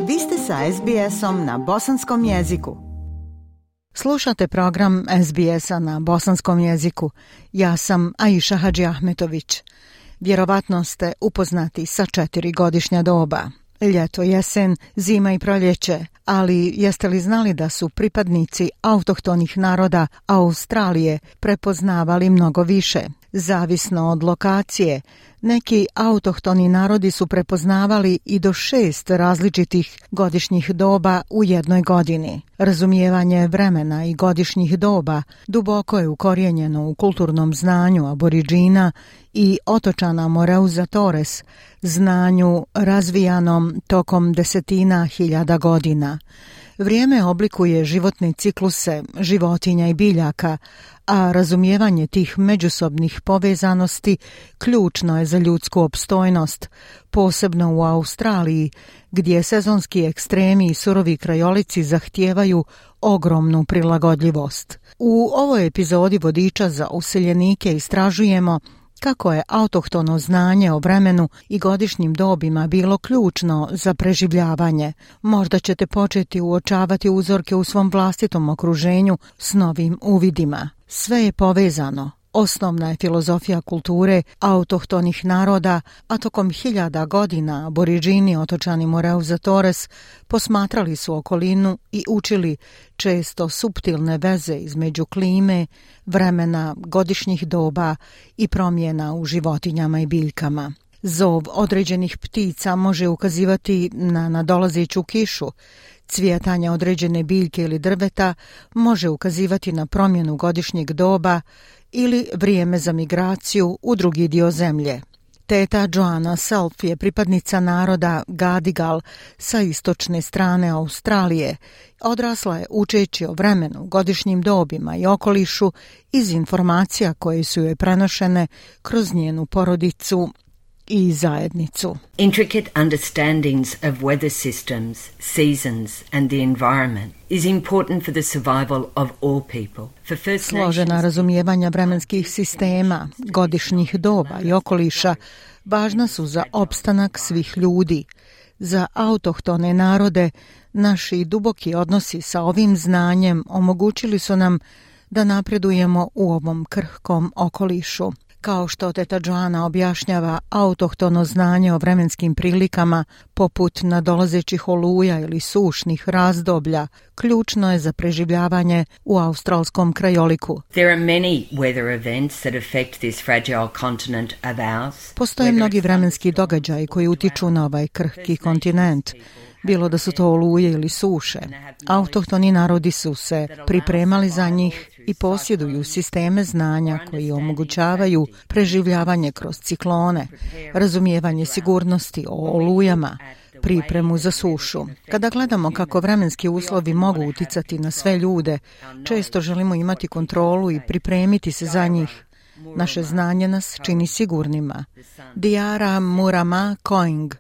Vi ste sa SBS-om na bosanskom jeziku. Slušate program SBS-a na bosanskom jeziku. Ja sam Aisha Hadži Ahmetović. Vjerovatno ste upoznati sa 4 godišnja doba. Ljeto, jesen, zima i proljeće. Ali jeste li znali da su pripadnici autohtonih naroda Australije prepoznavali mnogo više? Zavisno od lokacije, neki autohtoni narodi su prepoznavali i do 6 različitih godišnjih doba u jednoj godini. Razumijevanje vremena i godišnjih doba duboko je ukorijenjeno u kulturnom znanju aboriđina i otočana Moreuza Torres, znanju razvijanom tokom desetina hiljada godina. Vrijeme oblikuje životne cikluse životinja i biljaka, a razumijevanje tih međusobnih povezanosti ključno je za ljudsku opstojnost, posebno u Australiji, gdje sezonski ekstremi i surovi krajolici zahtijevaju ogromnu prilagodljivost. U ovoj epizodi Vodiča za useljenike istražujemo kako je autohtono znanje o vremenu i godišnjim dobima bilo ključno za preživljavanje. Možda ćete početi uočavati uzorke u svom vlastitom okruženju s novim uvidima. Sve je povezano. Osnovna je filozofija kulture autohtonih naroda, a tokom hiljada godina aboriđini otočani Moreuza Torres posmatrali su okolinu i učili često suptilne veze između klime, vremena, godišnjih doba i promjena u životinjama i biljkama. Zov određenih ptica može ukazivati na nadolazeću kišu. Cvjetanje određene biljke ili drveta može ukazivati na promjenu godišnjeg doba ili vrijeme za migraciju u drugi dio zemlje. Teta Joanna Self je pripadnica naroda Gadigal sa istočne strane Australije. Odrasla je učeći o vremenu, godišnjim dobima i okolišu iz informacija koje su joj prenošene kroz njenu porodicu i zajednicu. Intricate understandings of weather systems, seasons and the environment is important for the survival of all people. Složena razumijevanja vremenskih sistema, godišnjih doba i okoliša važna su za opstanak svih ljudi. Za autohtone narode naši duboki odnosi sa ovim znanjem omogućili su nam da napredujemo u ovom krhkom okolišu. Kao što teta Joanna objašnjava, autohtono znanje o vremenskim prilikama, poput nadolazećih oluja ili sušnih razdoblja, ključno je za preživljavanje u australskom krajoliku. Postoje mnogi vremenski događaji koji utiču na ovaj krhki kontinent. Bilo da su to oluje ili suše. Autohtoni narodi su se pripremali za njih i posjeduju sisteme znanja koji omogućavaju preživljavanje kroz ciklone, razumijevanje sigurnosti o olujama, pripremu za sušu. Kada gledamo kako vremenski uslovi mogu uticati na sve ljude, često želimo imati kontrolu i pripremiti se za njih. Naše znanje nas čini sigurnima. Diara Murama Koing,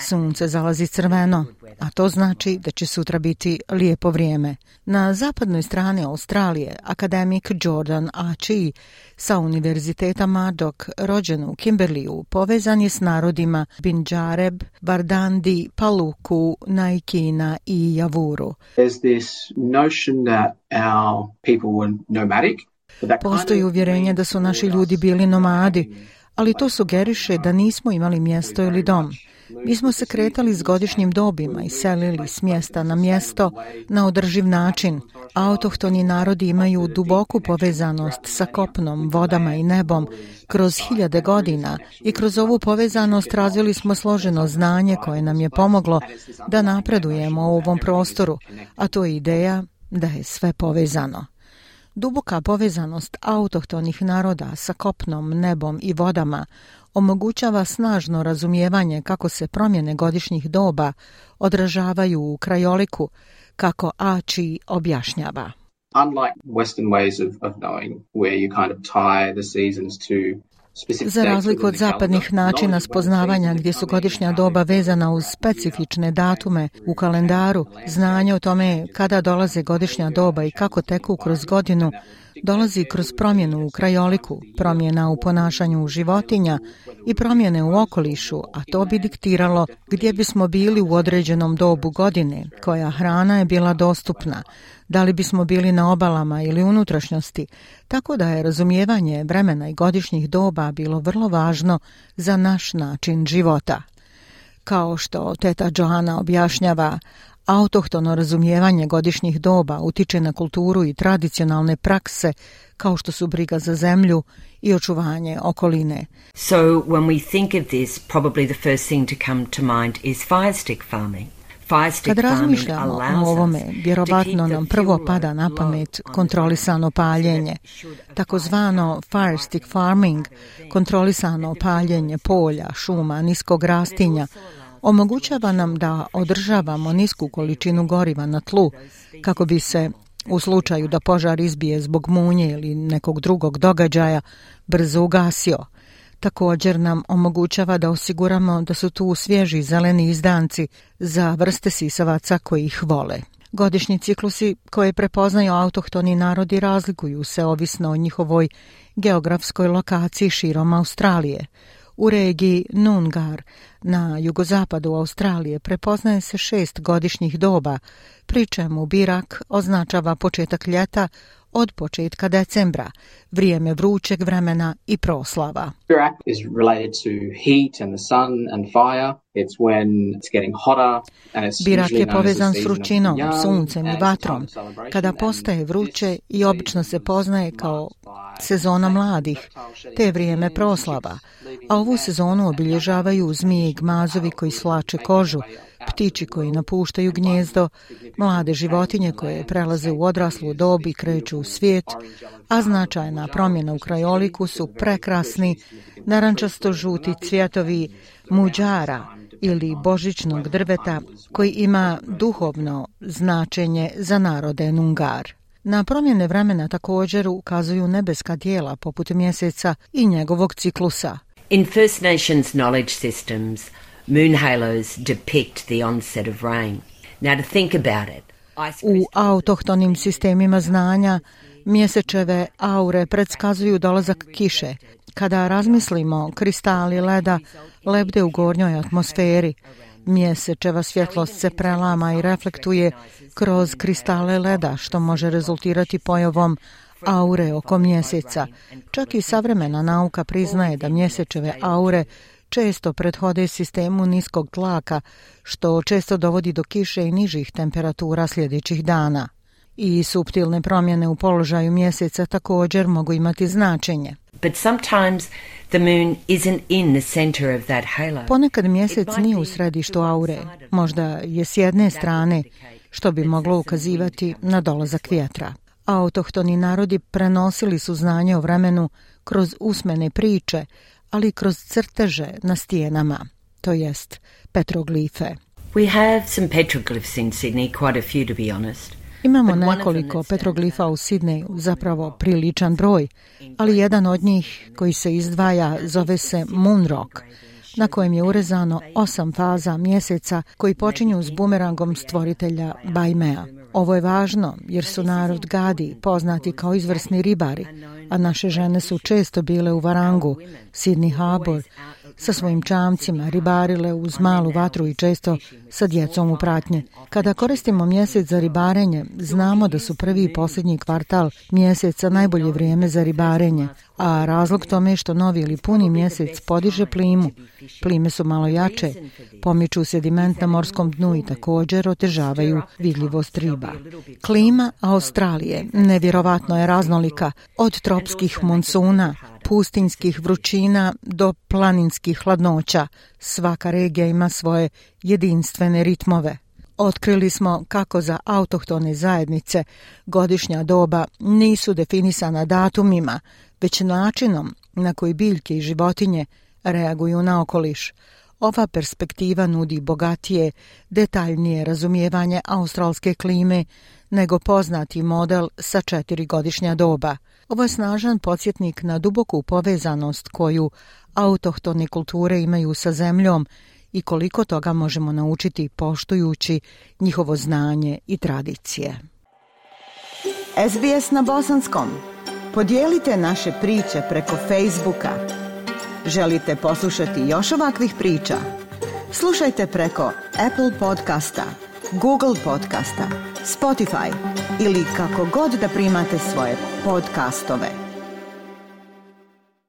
sunce zalazi crveno, a to znači da će sutra biti lijepo vrijeme. Na zapadnoj strani Australije akademik Jordan Achee sa Univerziteta Murdoch, rođen u Kimberleyu, povezan je s narodima Binjareb, Bardandi, Paluku, Naikina i Javuru. There's this notion that our people were nomadic. Postoji uvjerenje da su naši ljudi bili nomadi, ali to sugeriše da nismo imali mjesto ili dom. Mi smo se kretali s godišnjim dobima i selili s mjesta na mjesto na održiv način. Autohtoni narodi imaju duboku povezanost sa kopnom, vodama i nebom kroz hiljade godina i kroz ovu povezanost razvili smo složeno znanje koje nam je pomoglo da napredujemo u ovom prostoru, a to je ideja da je sve povezano. Duboka povezanost autohtonih naroda sa kopnom, nebom i vodama omogućava snažno razumijevanje kako se promjene godišnjih doba odražavaju u krajoliku, kako Achee objašnjava. Unlike Western ways of knowing where you kind of tie the seasons to. Za razliku od zapadnih načina spoznavanja gdje su godišnja doba vezana uz specifične datume u kalendaru, znanje o tome kada dolaze godišnja doba i kako teku kroz godinu dolazi kroz promjenu u krajoliku, promjena u ponašanju životinja i promjene u okolišu, a to bi diktiralo gdje bismo bili u određenom dobu godine, koja hrana je bila dostupna, da li bismo bili na obalama ili unutrašnjosti, tako da je razumijevanje vremena i godišnjih doba bilo vrlo važno za naš način života. Kao što teta Joana objašnjava, autohtono razumijevanje godišnjih doba utiče na kulturu i tradicionalne prakse kao što su briga za zemlju i očuvanje okoline. So when we think of this, probably the first thing to come to mind is fire stick farming. Kad razmišljamo o ovome, vjerovatno nam prvo pada na pamet kontrolisano paljenje. Takozvano fire stick farming, kontrolisano paljenje polja, šuma, niskog rastinja, omogućava nam da održavamo nisku količinu goriva na tlu kako bi se, u slučaju da požar izbije zbog munje ili nekog drugog događaja, brzo ugasio. Također nam omogućava da osiguramo da su tu svježi zeleni izdanci za vrste sisavaca koji ih vole. Godišnji ciklusi koje prepoznaju autohtoni narodi razlikuju se ovisno o njihovoj geografskoj lokaciji širom Australije. U regiji Noongar na jugozapadu Australije prepoznaje se 6 godišnjih doba, pri čemu Birak označava početak ljeta od početka decembra, vrijeme vrućeg vremena i proslava. Birak is related to heat and the sun and fire. It's when it's getting hotter and it's Birak je povezan s vrućinom, suncem i vatrom, kada postaje vruće i obično se poznaje kao sezona mladih, te vrijeme proslava, a ovu sezonu obilježavaju zmije i gmazovi koji slače kožu, ptiči koji napuštaju gnjezdo, mlade životinje koje prelaze u odraslu dob i kreću u svijet, a značajna promjena u krajoliku su prekrasni narančasto-žuti cvjetovi muđara ili božićnog drveta koji ima duhovno značenje za narode Noongar. Na promjene vremena također ukazuju nebeska tijela poput mjeseca i njegovog ciklusa. In First Nations knowledge systems, moon halos depict the onset of rain. Now to think about it. U autohtonim sistemima znanja mjesečeve aure predskazuju dolazak kiše. Kada razmislimo, kristali leda lebde u gornjoj atmosferi. Mjesečeva svjetlost se prelama i reflektuje kroz kristale leda, što može rezultirati pojavom aure oko mjeseca. Čak i savremena nauka priznaje da mjesečeve aure često prethode sistemu niskog tlaka, što često dovodi do kiše i nižih temperatura sljedećih dana. I suptilne promjene u položaju mjeseca također mogu imati značenje. But sometimes the moon isn't in the center of that halo. Ponekad mjesec nije u središtu aure, možda je s jedne strane, što bi moglo ukazivati na dolazak vjetra. Autohtoni narodi prenosili su znanje o vremenu kroz usmene priče, ali i kroz crteže na stijenama, to jest petroglife. We have some petroglyphs in Sydney, quite a few to be honest. Imamo nekoliko petroglifa u Sidneju, zapravo priličan broj, ali jedan od njih koji se izdvaja zove se Moon Rock, na kojem je urezano 8 faza mjeseca koji počinju s bumerangom stvoritelja Baimea. Ovo je važno jer su narod Gadi poznati kao izvrsni ribari, a naše žene su često bile u Varangu, Sydney Harbour, sa svojim čamcima, ribarile uz malu vatru i često sa djecom u pratnji. Kada koristimo mjesec za ribarenje, znamo da su prvi i posljednji kvartal mjeseca najbolje vrijeme za ribarenje, a razlog tome je što novi ili puni mjesec podiže plimu. Plime su malo jače, pomiču sediment na morskom dnu i također otežavaju vidljivost riba. Klima Australije nevjerovatno je raznolika, od tropskih monsuna, pustinjskih vrućina do planinskih hladnoća. Svaka regija ima svoje jedinstvene ritmove. Otkrili smo kako za autohtone zajednice godišnja doba nisu definisana datumima, već načinom na koji biljke i životinje reaguju na okoliš. Ova perspektiva nudi bogatije, detaljnije razumijevanje australske klime nego poznati model sa 4 godišnja doba. Ovo je snažan podsjetnik na duboku povezanost koju autohtone kulture imaju sa zemljom i koliko toga možemo naučiti poštujući njihovo znanje i tradicije. SBS na bosanskom. Podijelite naše priče preko Facebooka. Želite poslušati još ovakvih priča? Slušajte preko Apple podcasta, Google podcasta, Spotify ili kako god da primate svoje podcastove.